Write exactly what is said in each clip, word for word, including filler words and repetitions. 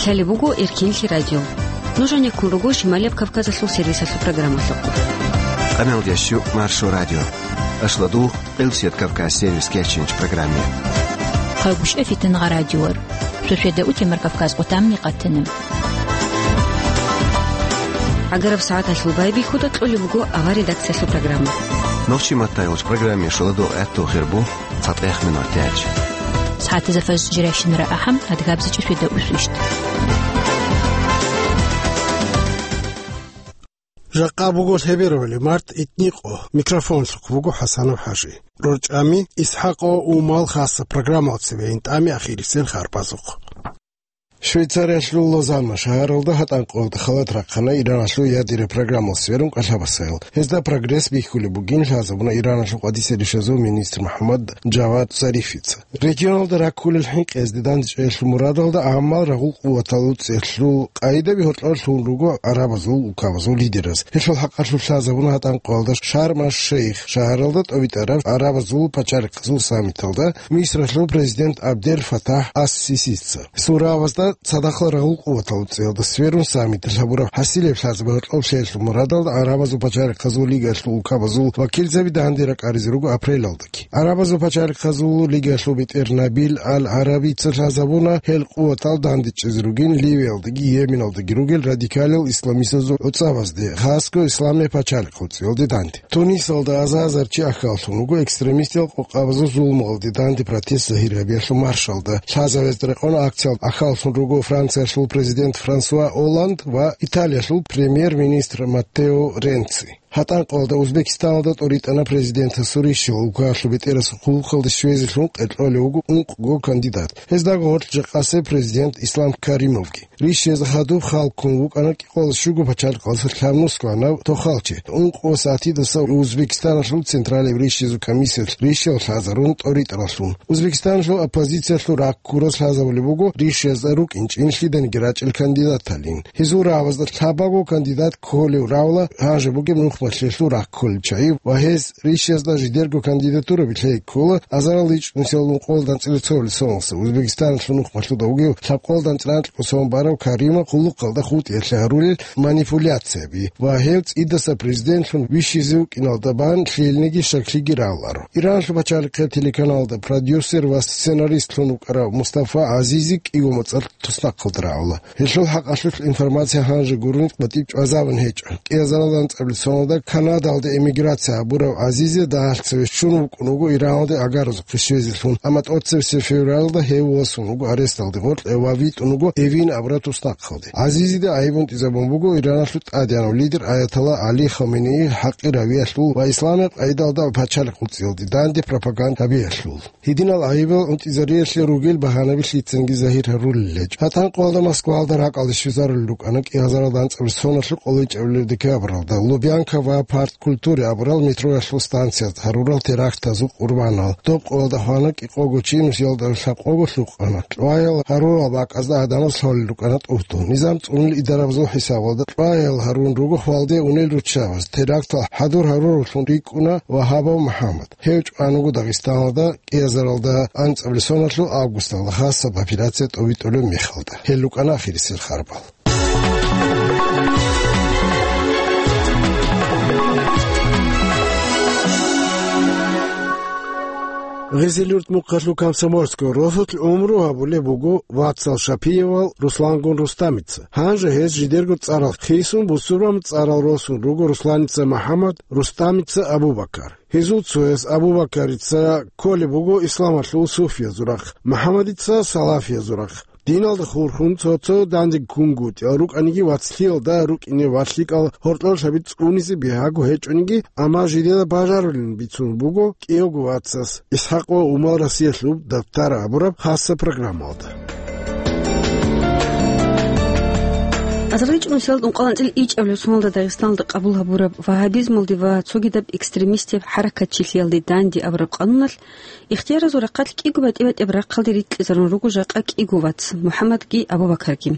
Лъалеб буго Эркинлъи радио. Нуж гьанеккун руго Шималияб Кавказалъул сервисалъул программалъухъ. Къамелдеш щу Маршо радио. Ашладу Къилсият Кавказ сервис кечинч программе. Хъагушев Фитнагъа радиор. Шошеда утемар Кавказ къутамни къатана. Агараб сагӀаталъул байбихьуда кьолеб буго авар редакциялъул программа. Нохчи маттайолч программе шоладо гӀатту хирбу. ЦатӀехъ минут тяч. СагӀатазда фажр жирайщинара ахӀам, адгабзичӀо шведа усвищт. Жакъа буго лъеберавали март итникъо, микрофонлъухъ буго ХӀасанов ХӀажи. РорчӀами ИсхӀакъо Умал хасса программал цебе интӀами ахирисел харбазухъ. Швейцариялъул Лозанна шагьаралда гьатӀанкъоялда халат рахъана Ираналъул ядерный программал сверун кӀалъабасайил. Гьезда прогресс бихьулеб бугин лъазабуна Ираналъул къватӀиса ришазул министр МухӀаммад Джавад Зарифица. Регионалда раккулел хӀинкъиязде дандчӀвеялъул мурадалда гӀаммал рагъул къуватал цӀелъул къагӀидаби гьоркьор лъун руго гӀарабазул улкабазул лидераз. Гьелъул хӀакъалъулъ лъазабуна гьатӀанкъоялда Шарм-аш-Шейх шагьаралда тӀобитӀараб гӀарабазул пачалихъазул саммиталда Мисралъул президент Абдел Фатахь ас-Сисица. Суравазда цадахъал рагъул къуватал цӀиялда сверун саммиталъ гьабураб хӀасилеб лъазабе гьоркьоб лъеялъул мурадалда гӀарабазул пачалихъазул лигаялъул улкабазул вакилзаби данде ракӀаризе руго апрелалдаги. ГӀарабазул пачалихъазул лигаялъул бетӀер Набил Ал-ГӀарабица лъазабуна гьел къуватал дандечӀезе ругин Ливиялдаги Йеменалдаги ругел радикалил исламистазул гӀуцӀабазде, хасго Исламияб пачалихъ цӀиялде данде. Тунисалда аза-азар чи ахьаллъун вуго экстремистиял къокъабазул зулмуялде данде протест загьир гьабиялъул маршалда. Лъазавезда рекъон акциялда ахьаллъун руго Франциялъул президент Франсуа Олланд ва Италиялъул премьер-министр Маттео Ренци. ГьатӀанкъоялда Узбекистаналда тӀоритӀана президентасул рищал, улкаялъул бетӀерасул хъулухъалде щвезелъун къеркьолев вуго ункъго кандидат. Гьездаго гьоркьоб жакъасеб президент Ислам Каримовги. Рищезда хадуб хал ккун вукӀана кӀикъоялда щуго пачалихъалдаса лъабнусго гьанав тохалчи. Ункъо сатидаса Узбекистаналъул Централияб рищезул комиссиялъ рищал лъазарун тӀоритӀаралъун. Узбекистаналъул оппозициялъул раккурас лъазабулеб буго рищезда рукӀинчӀин лъиданиги рачӀел кандидаталин. Гьезул рагӀабазда лъабаго кандидат кколев равла гьанже бугеб нухмалъиялъул ракколел чагӀи ва гьез рищезда жидерго кандидатураби лъей ккола азарал ичӀнусиялда ункъоялда анцӀила цоялъул соналдаса Узбекистаналъул нухмалъуда вугев лъабкъоялда анцӀила анкьго сон барав Каримов хъулухъалда хутӀиялъе гьарулел манипуляцияби ва гьев цӀидаса президентлъун вищизе вукӀиналда бан лъилниги щаклъиги равларо. Иранлъул пачалихъе телеканалда продюсер ва сценаристлъун вукӀарав Мустафа ГӀазизи кӀиго моцӀалъ туснахъалда рагӀула. Гьелъул хӀакъалъулъ информация гьанже гурони батӀиб чӀвазабун гьечӀо. КӀиазарал анцӀабилеб соналда Канадалде эмиграция гьабурав ГӀазизи дагьалъ цеве щун вукӀун вуго Ираналде агаразухъе щвезелъун, амма тӀоцебесеб февралда гьев восун вуго аресталде гъоркье ва витӀун вуго Эвин абураб туснахъалде. ГӀазизида гӀайиб унтӀизабун буго Ираналъул тӀадегӀанав лидер Аятолла ГӀали Хаменеи хӀакъи равиялъул ва исламияб къагӀидалда пачалихъ цӀиялде данде пропаганда гьабиялъул. Гьединал гӀайибал унтӀизариялъе ругел багьанаби лъицанги загьир гьарулел гьечӀо. ГьатӀанкъоялда Москваялда ракӀалде щвезарулел рукӀана кӀиазарал анцӀабилеб соналъул къоло ичӀабилеб декабралда Лубянка ва Парк культуры абурал метроялъул станциязда гьарурал терактазул къурбанал. Доб къоялда хвана кӀикъого чи, нусиялда лъабкъого лъукъана. Кьваял гьарурал бакӀазда гӀадамаз лъолел рукӀана тӀутӀун. Низам цӀунулел идарабазул хӀисабалда кьваял гьарун руго хвалде унел руччабаз. Терактал хӀадур гьаруравлъун рикӀкӀуна Вагьабов МухӀаммад. Гьев чӀван вуго Дагъистаналда кӀиазаралда анцӀабилеб соналъул августалда хасаб операция тӀобитӀулеб мехалда. Гьел рукӀана ахирисел харбал. Гъизил-Юрт мухъалъул Комсомольского росулъ гӀумру гьабулеб буго вацал Шапиевал Руслангун Рустамица. Гьанже гьез жидерго цӀарал хисун, бусурбаб цӀарал росун руго Русланица МухӀаммад, Рустамица Абу-Бакар. Гьезул цояс Абу-Бакарица кколеб буго исламалъул суфиязул рахъ, МухӀаммадица салафиязул рахъ. Диналда хурхун цо-цо дандег ккунгутӀиялъ рукӀаниги, вацлъиялда рукӀине ва лъикӀал гьоркьор лъаби цӀунизе бигьаго гьечӀониги, амма жидеда бажарулин бицун буго кӀиявго вацас ИсхӀакъ ва Умал Россиялъул дабтар абураб хасаб программалда. Азарилчи нусиялда ункъоялда анцӀила ичӀабилеб соналда Дагъистаналда къабул гьабураб вагьабизмалде ва цогидаб экстремистияб хӀаракатчилъиялде данде абураб къануналъ ихтияразул рахъалъ кӀиго батӀи-батӀияб рахъалде рикьизарун руго жакъа кӀиго вац, МухӀаммадги Абу-Бакарги.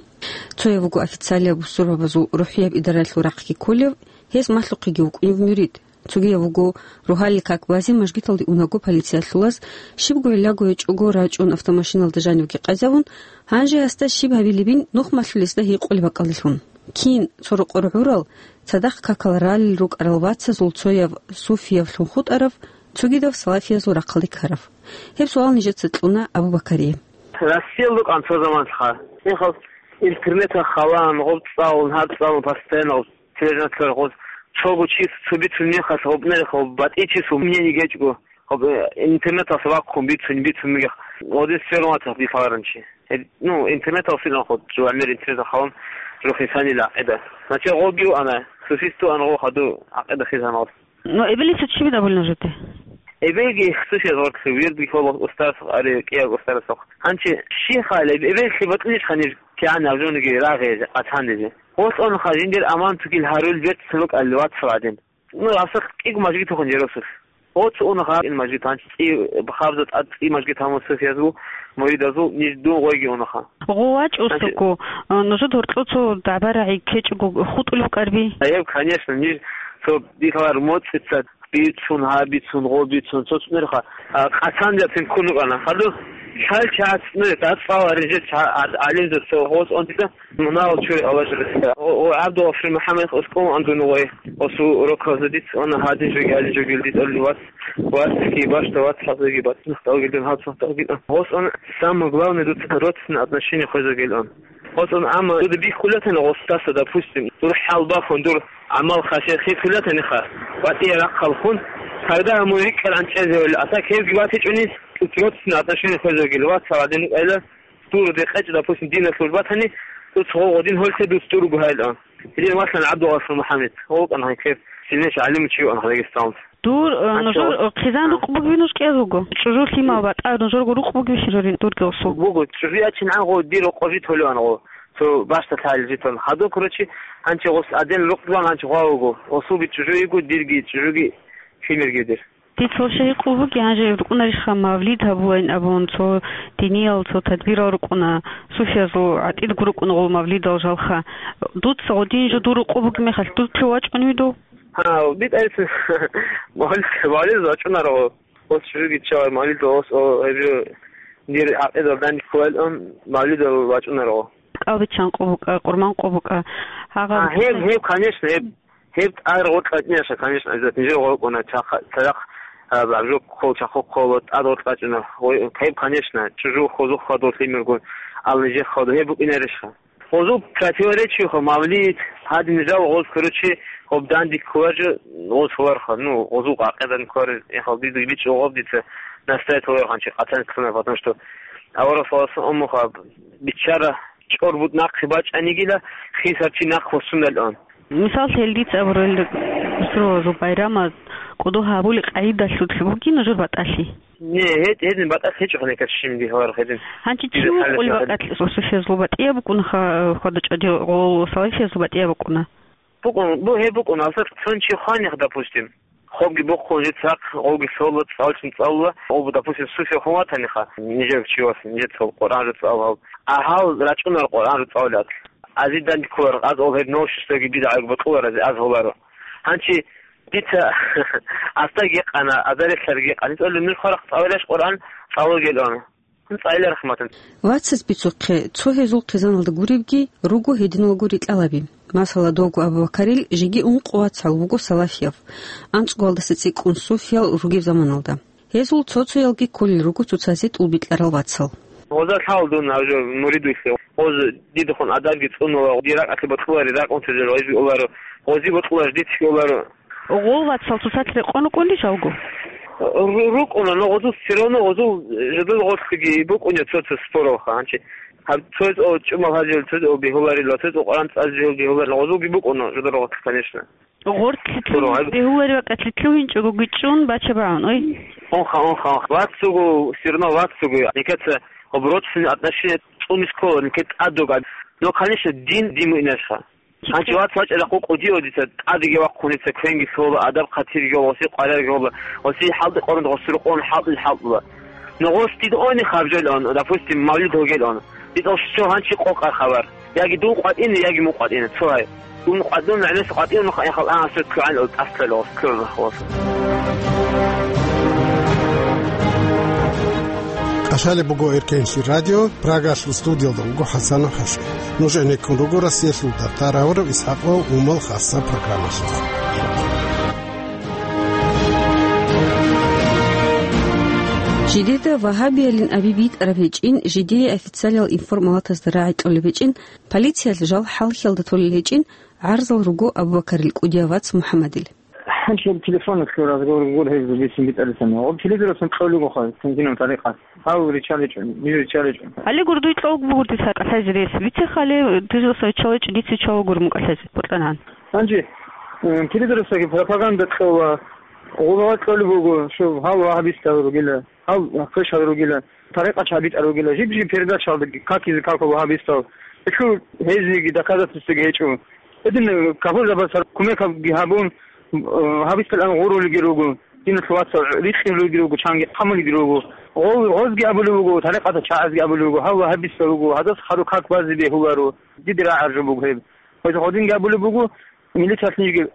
Цояв вуго официалияб бусурбабазул рухӀияб идаралъул рахъги кколев, гьез малъухъеги вукӀунев мурид. Цогияб вуго, рогьалил как базе мажгиталде унаго полициялъулаз, щибго гӀиллаго гьечӀого рачӀун автомашиналда жанивги къазавун, гьанже гьасда щиб гьабилебин нухмалъулъ гьесда гьикъулеб бакӀалдалъун. Кин, цо рокъор гӀурал, цадахъ какал ралел рукӀарал вацазул цояв суфиявлъун хутӀарав, цогидав салафиязул рахъалде ккарав? Гьеб суал нижеца кьуна Абу-Бакарие. Россиялда рукӀан цо заманалъха. Мехалъ интернеталъ халаан, гъоб цӀалун, гьаб цӀалун, постоянно гъоб тележанлъарахъ гъоз цого чи цо бицун мехалъ, гъоб нерехъ гъоб батӀи чиясул мнение гьечӀго, гъоб, э, интернеталъ вахъун бицун, бицун мегехъ, гъодин сверун ватахъ дилъ гьаларан чи. Гьеб, ну, интернеталъ силан хъо, жо гӀемер интернеталъ халаан жо хисанила гӀакъида. Значит, гъоги вуана, суфист вуана гъо хадув гӀакъида хисаналъ. Ну, эбелиса чи бин абулеб нужеде? Эбелги хсусият гъоркье, вирдги хьола устарас, ари кӀияб устарасухъ. Гьанчи щихъали, эбелги батӀулищха ниж кигӀан абжониги рагъизе, къацанизе? Гъолъонха жиндир аман тугил гьарул берцин рукӀал вацал гӀадин. Ну, гьабсагъ кӀиго мажгитухъун жер росулъ. Гъоц унаха ин мажгит гьанчи цӀи, хабза тӀад цӀи мажгит гьамун суфиязул, муридазул, ниж дун гъойги унаха. Гъо вачӀусаго, а, нужеда гьоркьо цо дагӀба-рагӀи ккечӀого хутӀулев карби? Гьеб, конечно, ниж цо дилъалар моцӀица бицун, гьаб бицун, гъо бицун, цо цӀунерха, а, къацанзабцин ккун рукӀана. Хадуб лъал чагӀац, ну, дацӀцӀала рижер ча-, гӀад-, гӀалимзаб цо гъоз онтица, мунагьал чури Аллагь жириса. О, о, ГӀабдулгъафур МухӀаммад, оскӀун андун вай, осу рокалза диц ана гьадин жоги, гьадин жоги диц оли вац, вацги башта, вац хӀазаги бацнахталгилан, гьацнахталгилан. Гъоз он самое главное дуца родственное отношение хвезагилан. Гъоцун, амма дуда бихьулатана гъостаса, допустим, дур хӀалбахун, дур гӀамал хасият хихьулатаниха, батӀия рахъалхун, когда мун рикӀкӀаран чӀезевали, а так гьевги батичӀуни, родственное отношение хвезагил, вац гьадин рукӀайла, дур декъечӀ, допустим, дина службатани, дуц гъо гъодин гьолъе дуц дурго гьайла. Гьедин валъан ГӀабдулгъафур МухӀаммад, гъо вукӀан гьанкер, сильнейший гӀалим чи ван Дагъистаналда. Дур, э, Гьанчо. Нужер, э, хъизан А. Рукъ бугеви нуж кӀел руго? ЧӀужу лъимал батӀа нужерго рукъ бугеви щирорин дурги осул? Буго, чӀужу ячин гӀан гъо, дир рокъо жит гьолеван гъо. Цо башта лъагӀел житан. Хадуб, короче, гьанчи гъос аден рукъ жуан гьанчи гъва вуго. Осулги чӀужу йиго, дирги чӀужуги лъимерги дир. Дицал щай гьикъул буги, гьанже рукӀунарищха мавлид гьабулайин абун, цо диниял, цо тадбирал рукӀуна, суфиязул гӀатӀидго рукӀуна гъол мавлидал жалха. Дуца гъодин жо дур рукъ буги мехалъ, дур лъугьа вачӀуневи дов? Гьав, битӀайса мавлид, мавлид вачӀунаро. Ос чужуги чавай мавлид ос, о, гьеб жо дир гӀакъидал данде кколаилан мавлидал вачӀунаро. КӀалбиччан къо букӀа, къурман къо букӀа. Гьагъаб А, гьеб, гьеб, конечно, гьеб, гьеб тӀад гъоркь вачӀунаша, конечно, обязательно. Нижер гъоркь уна, чахъа-, цадахъ, а, абжо ккол, чахъу ккол, тӀад гъоркь вачӀуна. Ой, гьеб, конечно, чужу хозухъ хадур лъимергун, ал нижер хадур, гьеб букӀинарищха? Гъозул противоречиеха, мавлид, гьадин жал гъоз, короче, гъоб данде кколаржо гъоз гьоларха. Ну, гъозул гӀакъидан кколар, яхал дида бичӀчӀо гъоб дица настоять гьоларханчи къатан ккана, потому что авараг саллаллаху алейхи ва саллям уммуха биччара чӀор бутӀ нахъе бачӀанигила, хисар чи нахъ вуссуналъун. Мисал, гьел дица абурал, Русулазул байрама кӀодо гьабули къагӀидалъулъ бугин жур батӀалъи? Не, гьед-, гьедин батӀалъ гьечӀо гьанеккат щиб дигьаларухъ гьедин. Гьанчи чи Дида вукъулеб хӀалалъи гьадин. БакӀалъ, суфиязул батӀияб букӀунаха, хьвада-чӀвади гъол салафиязул батӀияб букӀуна? БукӀун, бу-, гьеб букӀун, гьалсакь цон чи хванихъ, допустим. Хобги бухъун жицахъ, гъоги лъола, цӀалчин цӀалула, гъоб, допустим, суфия хун ватаниха, нижер чи вас, нижер цо Къуръан жо цӀалал. Агьал рачӀунар Къуръан жо цӀалулят. Азидан кколар, аз ол гьеб ношисдаги бидгӀаги бокьуларазе аз гьоларо. Гьанчи Дица астаги къана, азарилъарги къани цӀале, нуж хварахъ цӀаларищ Къуръан цӀалугелъун? Гьун цӀайла рахматан. Вацаз бицухъе, цо гьезул хъизаналда гуребги руго гьединалго рикьалаби. Масала, довго Абу-Бакарил жеги ункъо вацал вуго салафияв, анцӀгоялдаса цӀикӀкӀун суфиял ругеб заманалда. Гьезул цо-цоялги кколел руго цоцазе тӀулбикьарал вацал. Гъоза лъал дун гьаб жо муридулъе. Гъоз дидехун адабги цӀунула, дир ракӀалъе бокьулари ракӀун тезел гъоз биуларо, гъози бокьулаш дицги оларо. Гъол вацал цоцалъ рекъон рукӀунищ жалго? Ру-, рукӀуна, но гъозул все равно гъозул жидул гъорлъиги букӀуня цо-цо споралха. Гьанчи гьаб цояз о чӀумал гьазил, цояз о бегьуларила, цояз о Къуръан цӀазе бегьуларила, гъозулги букӀуна жидул гъорлъ, конечно. Гъорлъ Спорал гьаб- бегьуларила кьатлъи лъугьинчӀого гичӀчӀун бача багӀун, ой. Онха, онха, онха. Вацуго, все равно вацуго. Никеца гъоб родственные отношения цӀуни ккола, нике тӀадуга. Но, конечно, дин, дин муинашха. Гьанчи вац вачӀа рахъу кӀудио дица, тӀадеги вахъуница, квенги лъола, адаб хъатирги гьола, оси къварарги гьола, оси хӀалдикъорун гъосул рукъун хӀалтӀил хӀалтӀула. Но гъос дид ойни хабжел он, допустим, мавлид гьогел он. Дид ошчо гьанчи къокъар хабар. Яги дун къватӀина, яги мун къватӀина, цо гьай. Дун къватӀун, гӀенес къватӀивнухъ, яхал, а, асур ккогӀан, ул тӀасалъала, ул кколнахъ васун. КӀалъалеб буго Эркенлъи радио, Прагалъул студиялда вуго ХӀасанов ХӀасен. Нуж гӀенеккун руго Россиялъул датараврав ИсхӀакъ ва Умал хасаб программалъухъ. Жидеда вагьабиялин аби битӀараб гьечӀин, жидее официалиял информалатазда рагӀи кьолеб гьечӀин, полициялъ жал хӀалхьалда толел гьечӀин, гӀарзал руго Абу-Бакарил кӀудияв вац МухӀаммадил. Гьанже телефоналъул разговор гур гьез бицин битӀарилъани. Гъоб телевизоралъун кьолеб бугоха, тинкинаб тарикъат. Гьав риччаличӀо, ниж риччаличӀо. Гьале гур дуй кьолеб бугур дица кӀалъазе рес. Вице хале, дуй росда риччаличӀо, дица чола гур мукӀалъазе, бокьанан. Гьанже, э, телевизоралъаги пропаганда кьола, гъуба кьолеб буго, щоб гьал вагьабистал ругила. Гьав квешал ругила, тарикъат гьабитӀар ругила, жиб-жиб передачаялда какизе какун вагьабистал. Гьелъул гьезиеги доказательствоги гьечӀо. Гьедин кафурзабаз кумекги гьабун, э, гьабистал ан гъурулги руго, диналъул вацал рикьулги руго, чанги хъамулги руго. Гъо-, гъозги абулеб буго, тарикъаталъул чагӀазги абулеб буго, гьав вагьабистал руго, гьадас хадуб как базе бегьуларо, дида рагӀараб жо буго гьеб. Гьез гъодинги абулеб буго, милицаялъ нижги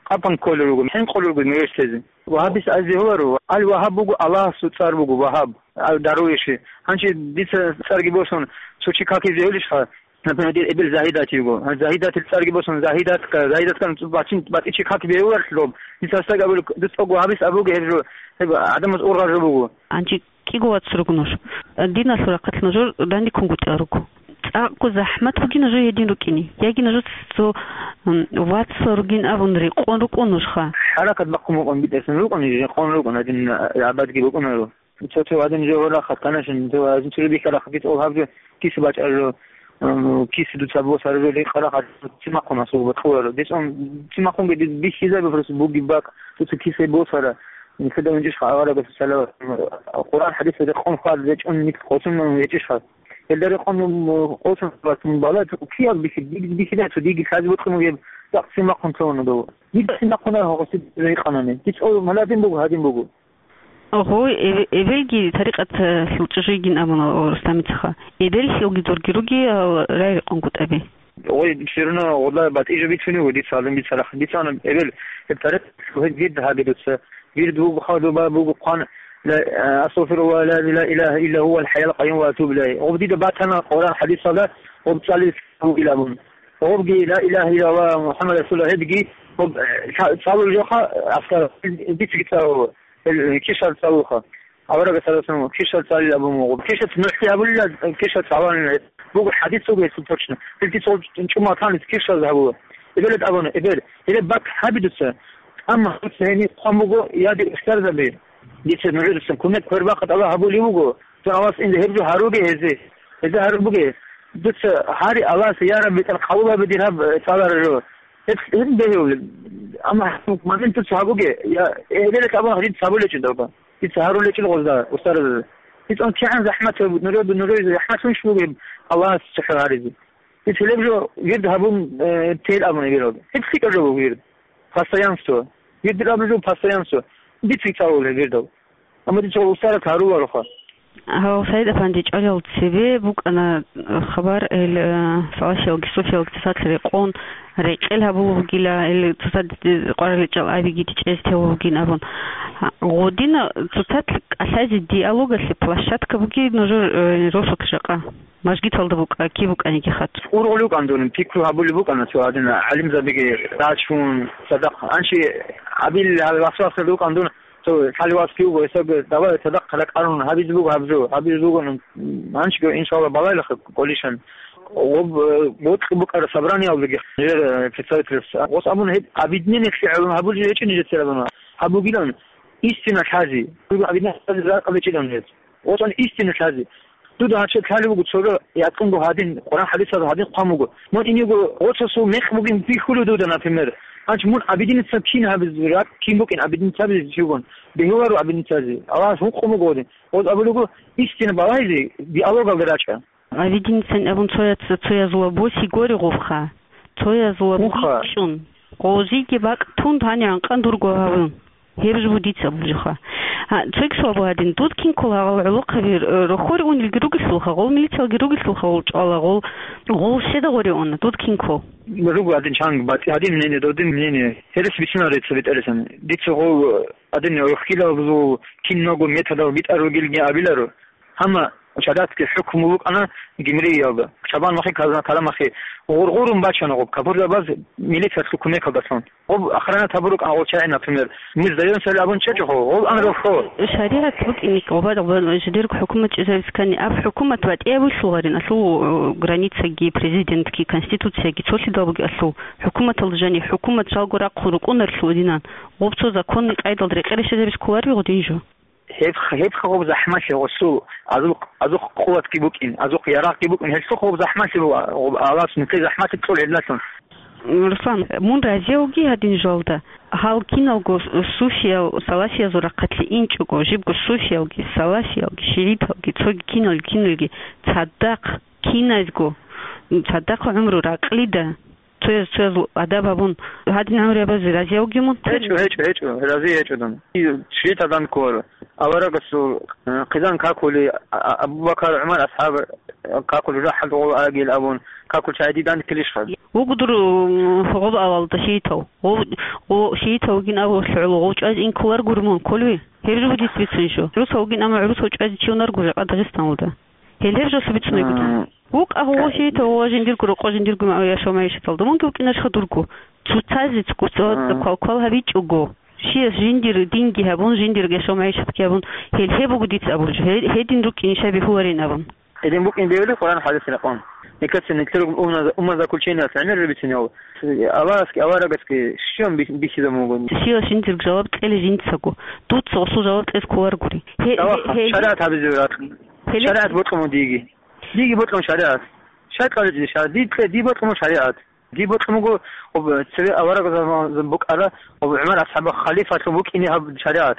къапан кколел руго, хӀинкъулел руго мегьешлъезе. Вагьабист азе гьоларо, Ал-Вагьаб буго, Аллагьасул цӀар буго Вагьаб, Ал-Дарвиши. Гьанже дица цӀарги босун, цо чи какизе гьолищха? Например, дир эбел Загьидат йиго. Гьанже Загьидатил цӀарги босун, Загьидатка, Загьидатка бацин, батӀичи как бегьуларелъ доб. Дица гьасдаги абулеб, дус цӀого вагьабист абуге гьеб жо, гьеб гӀадамаз ургъар жо буго. Гьанже кӀиго вац руго нуж. Диналъул рахъалъ нужер данде ккунгутӀиялъ руго. ЦӀакъго захӀмат бугин нужее гьедин рукӀине. Яги нужеца цо, м, вацал ругин абун рекъон рукӀун нужха. ХӀаракат бахъун букӀун битӀасан рукӀун, рекъон рукӀун, гьадин, абадги букӀунаро. Цо-цо гьадин жо гьорахъа, канашин, цо гьадин цо бихьарахъа, кис ол гьаб жо, кис бачӀар жо, м, кис дуца босар жо, рекъарахъа, цимахъун асул батуларо. Децун, цимахъунги бихьизаби просто буги бакӀ, дуца кис босара. Нилъеда унчӀищха аварагас салават, Къуръан хӀадисалда къон хьвад речӀун нилъ къосун гьечӀищха? Гьелда рекъон, м, къосун хьвад, м, балагье, киял бихьи-, диг-, бихьидайчӀо, диги лъазе бокьун бугеб, цӀакъ цимахъун цавуна дов. Дида цимахъун гьагъуси рекъанани. Дица о, маладин буго, гьадин буго. Гъой, эбе-, эбелги тарикъаталъул чӀужуйгин абуна Рустамицаха. Эбел хьилги дурги руги, а, рай рекъон гутӀаби. Гъой, все равно, гъода батӀи жо бицунев дица, гьадин бицарахъ. Дица ана эбел, гьеб тарикъ, гьеб вирд гьаби дуца. Вирд буго, хадуба буго, хъван, ла, а, астагъфируллагь, ла, ла илагьа илла гьувал хӀайял къайюм ва атубу илайгь. Гъоб дида батана Къуръан хӀадисалда, гъоб цӀалил бугилан абун. Гъобги, ла илагьа иллаллагь Мухаммад расулуллагь, гьебги, гъоб, э, ца-, цӀалул жоха, аскар, дицги цӀалула, э, кишал цӀалулха. Аварагас гьарасан кишал цӀалил абун буго. Кишаца нухӀлъи гьабулила, кишал цӀаланила. Буго хӀадис буго гьесул точно. Гьел дица гъоб чӀумал танис кишал гьабула. Эбелат абуна, эбел, гьелеб бакӀ гьаби дуца. Амма дуца гьениб хъван буго, я дир устарзаби. Дица нужеца кумек квербахъа тӀалаб гьабулев вуго. Дун Аллагьас инде гьеб жо гьаруге гьезе. Гьезе гьаруб буге. Дуца гьари Аллагьас, я Рабби, тӀад къабул гьабе дир гьаб, э, цӀалараб жо. Гьеб, гьеб бегьулеб. Амма гьаб момент дуца гьабуге, я, э, гьелелъ абун гьадин цабулечӀо далба. Дица гьарулечӀел гъозда, устарзаби. Дицун кигӀан захӀмат гьаб, нужер, нужер захӀмат гьунщ бугеб Аллагьас цохӀо гьаризе. Дица гьелеб жо вирд гьабун, э, тел абуна вирав. Гьеб лъикӀаб жо буго вирд. Постоянство. Вирд абулеб жо постоянство. Дица цӀалула вирдал. Амма дица устарзаб гьарулароха. Гьав, СагӀид-апанди, чӀвалел цебе букӀана хабар, ил, э, салафиялги суфиялги цоцалъ рекъон, рекъел гьабулев вугила, ил цоцазда къваригӀел чӀал абиги дичӀез тев вугин абун. Гъодина цоцалъ кӀалъазе диалогалъе площадка буги нужер, э, росулъ жакъа. Мажгиталда букӀа, киб букӀаниги хат. Ургъулев вукӀан дун, пикру гьабулеб букӀана цо гьадин, гӀалимзабиги рачун, цадахъ. Анщи абил гьал васвасалда вукӀан дун, цо лъалеваски вуго, гьесаго давай цадахъ ракӀарун гьабизе буго гьаб жо, гьабизе буго, анщиго, иншалла, балайлахъе кӀолищан. Гъоб, э, бокьи букӀара собраниялдаги, жер, э, представительас. Гъос абун гьеб объединениялъе гӀелун гьабулел гьечӀо нижецерабуна. Гьаб бугилан истина лъази. Объединение лъази ракӀалда чилан гьез. Гъос ан истина лъази. Дуда гьача лъалев вуго цо жо, якъунго гьадин, Къуръан хӀадисалда гьадин хъван буго. Мун инего гъоцасул мекъ бугин бихьулев дуда, например. Гьанч мун объединиться кин гьабизе, ракӀ кин букӀин объединиться гьабизе чигун. Бегьуларо объединиться гьазе. Аллагьас гьукъун буго гъодин. Гъоз абулего, истина балайзе диалогалде рачӀа. Объединиться абун цояц-, цоязула боси гори гъубха. Цоязула Гъубха. Бицун. Гъозиги бакӀ тун гьаниван къан дурго гьавун. Гьеб жо дица бужуха. А, цойги суал буго гьадин, дуд кин ккола гьал гӀолохъаби, э, рохьоре унелги ругелъулха, гъол милициялги ругелъулха, гъол чӀвала, гъол, гъол щеда гъоре уна, дуд кин ккол? Руго гьадин чанги батӀи гьадин мнение, додин мнение. Гьерес бицунарин цо бетӀерасан. Дица гъол, э, гьадин рохьилабазул киналго методал битӀар ругелги абиларо. Гьанна шаригӀатги хӀукму букӀана Гимриялда. Чабан махи, Казан-, Каламахи гъургъурун бачана гъоб капурзабаз милициялъул кумекалдалъун. Гъоб охранат гьабурукӀан гъол чагӀи, например, мы сдаёмся абун чӀечӀого, гъол анрохо. ШаригӀат букӀине гъоба-, гъоба-, жидерго хӀукумат чӀезарискани, аб хӀукумат батӀияб вуссуларин, алъул, э, границаги, президентги, конституцияги цолъидал буги алъул. ХӀукуматалда жани хӀукумат жалго рахъун рукӀунарлъу динан. Гъоб цо законный къайдалда рекъе рещезабиз кколарив гъодин жо? Гьеб-, гьебха гъоб захӀмалъи гъосул, азул, азухъ къуватги букӀин, азухъ ярагъги букӀин, гьелъухъ гъоб захӀмалъи буго, гъоб Аллагьас нилъее захӀмалъи кьола гьелдалъун. Руслан, мун разияв вугин гьадин жалда, гьал киналго суфиял, салафиязул рахъалъе инчӀого, жибго суфиялги, салафиялги, шигӀиталги, цоги киналги, киналги цадахъ, киназго, цадахъ гӀумру ракълида. Цояз, цояз адаб гьабун, гьадин гӀумру гьабазе разияв вугин мун? ГьечӀо, гьечӀо, гьечӀо, разияв гьечӀо дун. И шигӀитал дандкколаро. Аварагасул, э, хъизан какулей, а, а, Абу Бакар, ГӀумар асхӀаб, э, какулей, жужахӀалда гъола агел абун, какулчагӀи дандккилищха? Вуго дур, м, гъоб авалда шигӀитав. Гъов-, гъо-, шигӀитав вугин абулъ гӀоло гъов чӀвазе ин кколаргури мун, кколеви? Гьеб жо буго дица бицунеб жо. ГӀурусав вугин, амма гӀурусав чӀвазе чи унарго жакъа Дагъистаналда. Гьел гьеб жолъун бицунеб буго дун. М. ВукӀа гъо шигӀитав, гъо жиндирго рокъо, жиндирго ма-, яшав-магӀишаталда. Мунги вукӀинарищха дурго? Цоцазе цо-, цо-, М. квал-квал гьабичӀого. Чияс жиндир динги гьабун, жиндир яшав-магӀишатги гьабун, гьел гьеб буго дица абураб жо. Гье-, гьедин рукӀин ишаб бихьуларин абун. Гьедин букӀин бегьулеб Къуръан хӀадисалъ рекъон. Никаца нилъер умна-, умумазакулчениялъ гӀемер рубицинав. Аллагьасги аварагасги щиб бих-, бихьизабун буго? Чияс жиндир жаваб кьела жинцаго. Дуца гъосул жаваб кьезе кколаргури. Гье-, Даваха, гье-, гье-, шаригӀат гьабизе вуго. Гьеле- ШаригӀат бокьун буго диеги. Диги бокьун шаригӀат. Шай кьаличӀизе шаригӀат? Ди бокьун буго, об, цеве авараг заман букӀара, об, ГӀумар асхӀаб халифалъун букӀине гьаб шаригӀат.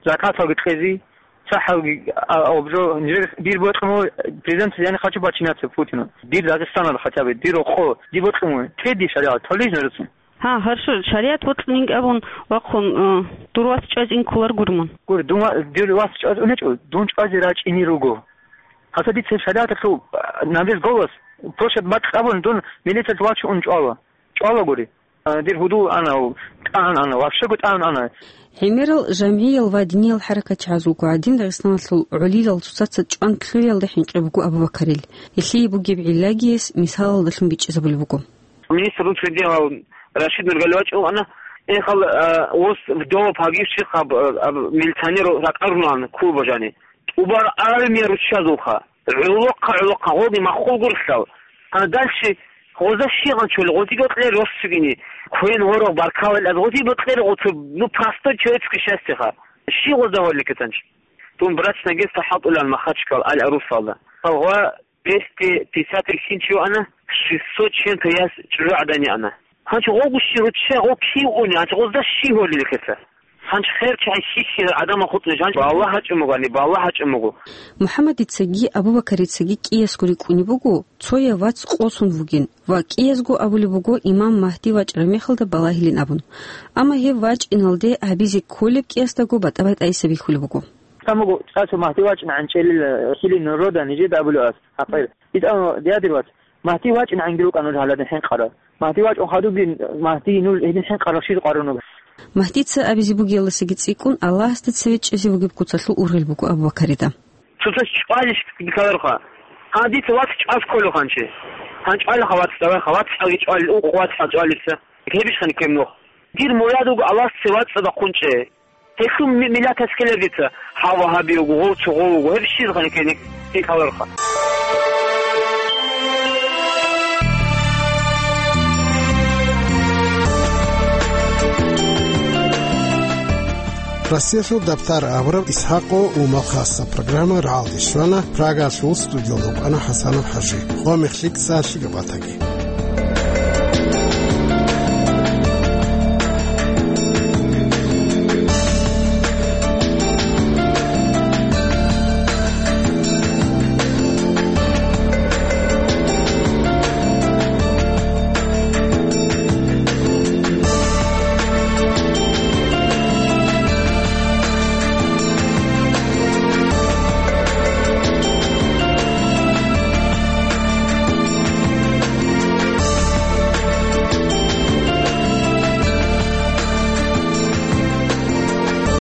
Закаталги кьезе, цахӀалги, а, об жо, нижер дир бокьун буго, президент яни хочу подчиняться Путину. Дир Дагъистаналда хотя бы, дир рокъо, ди бокьун буго, те ди шаригӀат, толей нужецун. Гьа, гьаршо, шаригӀат бокьунин абун вахъун, э, дур вас чӀвазе ин кколаргури мун? Гур, дун ва-, дир вас чӀвазе унечӀо, дун чӀвазе рачӀине руго. Гьаса дица шаригӀаталъул, а, на весь голос, площадь бакь абун, дун милицалъ вачун чӀвала. ЧӀвалагури. А, дир гьудул ана, тӀагӀун ана, вообще-го тӀагӀун ана. ГӀемерал жамгӀиял ва диниял хӀаракатчагӀаз вуго гӀадин Дагъистаналъул гӀолилал цоцаца чӀван лъугӀиялда хӀинкъи буго Абу-Бакарил. Гьелъие бугеб гӀиллагияс мисалалдалъун бичӀчӀизабулеб буго. Министр внутренних дел Рашид Нургалиевич вукӀана, эхал, а, ос вдова погибших аб, аб, милиционер ракӀарулан клуба жани. ТӀубар армия руччазулха. ГӀолохъа, гӀолохъа, гъоги маххул гурлъал. А дальше гъоза щигъан чули, гъозиги кьер рос цугини. Квен ворог баркалал аз гъозиги кьер гъоцо, ну, простой человеческое счастье ха. Щи гъоза гьолли кетанч? Дун брачное агентство хӀалтӀулан Махачкал, Аль-Арусалда. Гъва двести пятьдесят ишин чи вана, шестьсот чем-то яс чӀужугӀадан яна. Гьанчо гъогу щи ручча, гъо кив уни, гьанчо гъозда щи гьолли рехеца? Гьанчо хер чагӀи щи-щи гӀадамал хутӀулел, гьанчо балагь гьачӀун бугони, балагь гьачӀун буго. МухӀаммадицаги Абу-Бакарицаги кӀиясго рикӀкӀунеб буго, цояв вац къосун вугин ва кӀиязго абулеб буго имам Магьди вачӀараб мехалда балагьилин абун. Амма гьев вачӀиналде гьабизе кколеб кӀиясдаго батӀа-батӀайиса бихьулеб буго. Гьанго чӀасу Магьди вачӀинегӀан чӀелил, э, хилин рода нижеда абулев ас, гьакъир. ИтӀа, диадир вац, Магьди вачӀинегӀанги рукӀа нуж гьаладин хӀинкъарал. Магьди вачӀун хадубги, Магьди нуж гьедин хӀинкъарал щиб къарун ругел? Магьдица абизе бугеласаги цӀикӀкӀун Аллагьасда цеве чӀезе вугеб куцалъул ургъел буго Абу-Бакарида. Цоцаз чӀвалищ бикаларха. Гьа, дица вац чӀваз кколев хъанчи. Гьан чӀвалиха вац, давайха, вац чӀвалги чӀвали, укъ вац чӀвалица. Гьебищ хъани ккеб нух. Дир мурад вуго Аллагьас цеве вацӀцӀадахъун чӀей. Гьелъул ми-, миллатас ккелеб дица, гьав вагьаби вуго, гъов цо гъов вуго, гьеб щиб хъани ккеник, бикаларха. Россиялъул дабтар абураб Исхакъо ва Малхасаб программа рагӀалде щвана, Прагалъул студиялда вукӀана ХӀасанов ХӀажи. Гъо мехлъица лъикӀаб батаги.